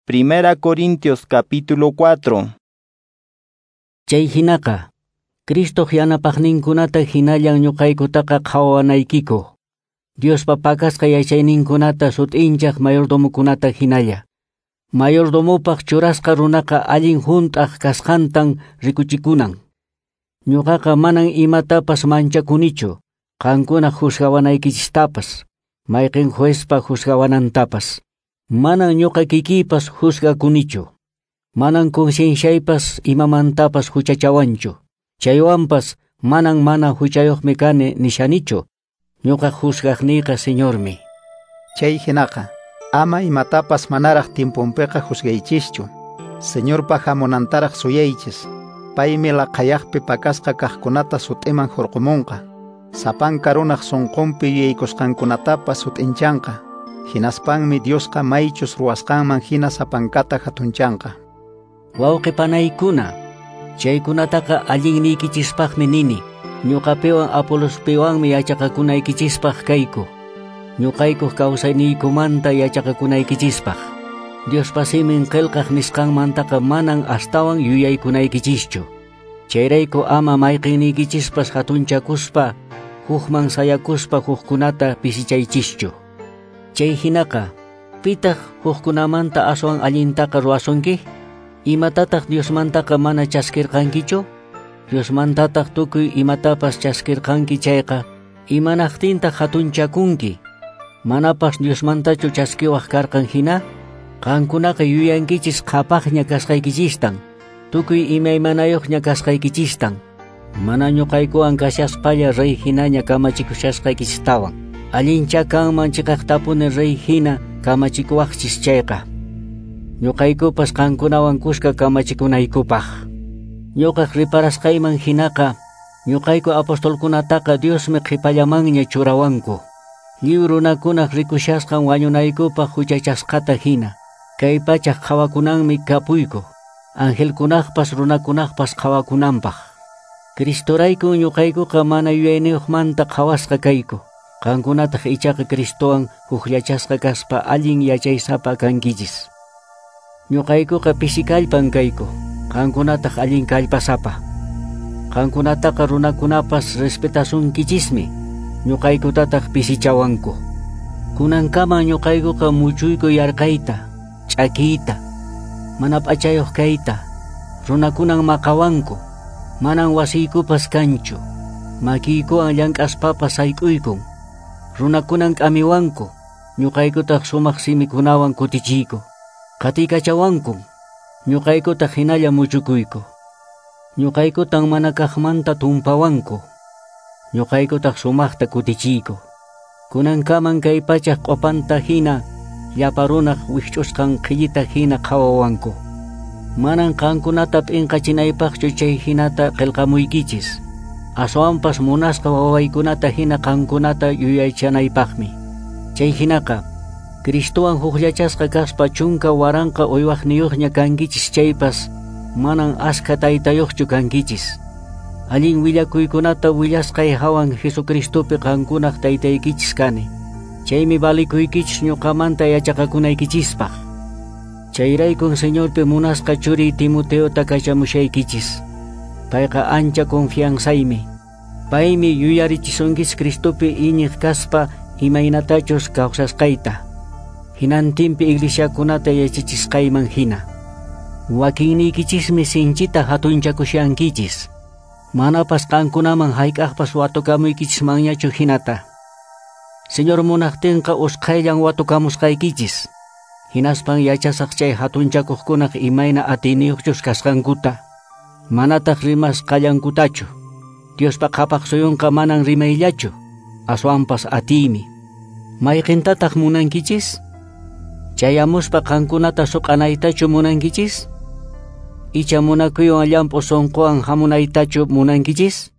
Primera Corintios capítulo 4. Chay hinaqa, Cristoq yanapaqninkunata hinallan ñuqaykutaqa qhawanaykiku. Diospa pakasqa yachayninkunata sut'inchaq mayordomokunata hinalla. Mayordomopaq churasqa runaqa allin hunt'aq kasqantan rikuchikunan. Ñuqaqa manan imatapas manchakunichu, qankuna juzgawanaykichistapas, mayqin juezpa juzgawanantapas. Manan ñuqa kikiypas juzgakunichu. Manan concienciaypas imamantapas huchachawanchu. Chaywanpas manan mana huchayuqmi kani nishanichu. Ñuqa juzgaqniyqa Señormi. Chay hinaqa, ama imatapas manaraq tiemponpiqa juzgaychischu. Señorpa hamunantaraq suyaychis. Paymi laqhayaqpi pakasqa kaqkunata sut'iman hurqumunqa. Sapanka runaq sunqunpi yuyaykusqankunatapas sut'inchanqa. Hinaspanmi Diosqa maychus ruwasqanman hina sapankata hatunchanqa. Wawqi panaykuna, chaykunataqa allinniykichispaqmi nini. Ñuqapiwan Apolospiwanmi yachaqakunaykichispaq kayku. Ñuqaykuq kawsayniykumanta yachaqakunaykichispaq. Diospa simin qillqaq nisqanmantaqa manan astawan yuyaykunaykichischu. Chayrayku ama mayqinniykichispas hatunchakuspa, hukman sayakuspa hukkunata pisichaychischu. Chay hinaqa, pitaq hukkunamanta aswan allintaqa ruwasunki? Imatataq Diosmantaqa mana chaskirqankichu? Diosmantataq tukuy imatapas chaskirqanki chayqa, imanaqtintaq hatunchakunki? Manapas Diosmantachu chaskiwaq karqan hina? Qankunaqa yuyankichis qhapaqña kasqaykichistan, tukuy imaymanayuqña kasqaykichistan, mana ñuqaykuwan kashaspalla rey hinaña kamachikushasqaykichistawan. Allincha kanman chiqaqtapuni rey hina kamachikuwaqchis chayqa. Ñuqaykupas qankunawan kuska kamachikunaykupaq. Ñuqaq riparasqayman hinaqa, ñuqayku apostolkunataqa Diosmi qhipallamanña churawanku. Lliw runakunaq rikushasqan wañunaykupaq huchachasqata hina. Kay pachaq qhawakunanmi kapuyku, angelkunaqpas runakunaqpas qhawakunanpaq. Cristoraykun ñuqaykuqa mana yuyayniyuqmanta qhawasqa kayku. Qankunataq ichaqa Cristowan hukllachasqa kaspa allin yachaysapa kankichis. Ñuqaykuqa pisi kallpan kayku, qankunataq allin kallpasapa. Qankunataqa runakunapas respetasunkichismi, ñuqaykutataq pisichawanku. Kunankaman ñuqaykuqa muchuyku yarqayta, ch'akiyta, mana p'achayuq kayta, runakunan maqawanku, manan wasiykupas kanchu, makiykuwan llank'aspapas sayk'uykun. Runakunan k'amiwanku, ñuqaykutaq sumaq simikunawan kutichiyku. Qatiykachawankun, ñuqaykutaq hinalla muchukuyku. Ñuqaykutan mana kaqmanta tumpawanku, ñuqaykutaq sumaqta kutichiyku. Kunankaman kay pachaq q'upanta hina, llapa runaq wikch'usqan qhillita hina qhawawanku. Manan qankunata p'inqachinaypaqchu chay hinata qillqamuykichis. Aswanpas munasqa wawaykunata hina qankunata yuyaychanaypaqmi. Chay hinaqa, Cristowan hukllachasqa kaspa 10,000 uywaqniyuqña kankichis chaypas, manan askha taytayuqchu kankichis. Allin willakuykunata willasqay hawan Jesucristopi qankunaq taytaykichis kani. Chaymi valikuykichis ñuqamanta yachaqakunaykichispaq. Chayraykun Señorpi munasqa churiy Timoteota kachamushaykichis. Payqa ancha confianzaymi. Paymi yuyarichisunkichis Cristopi iñiq kaspa imaynatachus kawsasqayta. Hinantinpi iglesiakunata yachachisqayman hina. Wakinniykichismi sinchita hatunchakushankichis. Manapas qankunaman hayk'aqpas watukamuykichismanñachu hinata. Señor munaqtinqa usqhayllan watukamusqaykichis. Hinaspan yachasaq chay hatunchakuqkunaq imayna atiyniyuqchus kasqankuta. Manataq rimasqallankutachu. Diospa qhapaq suyunqa manan rimayllachu, aswanpas atiymi. Mayqintataq munankichis? Chayamuspa qankunata suq'anaytachu munankichis? Icha munakuywan llamp'u sunquwan hamunaytachu munankichis?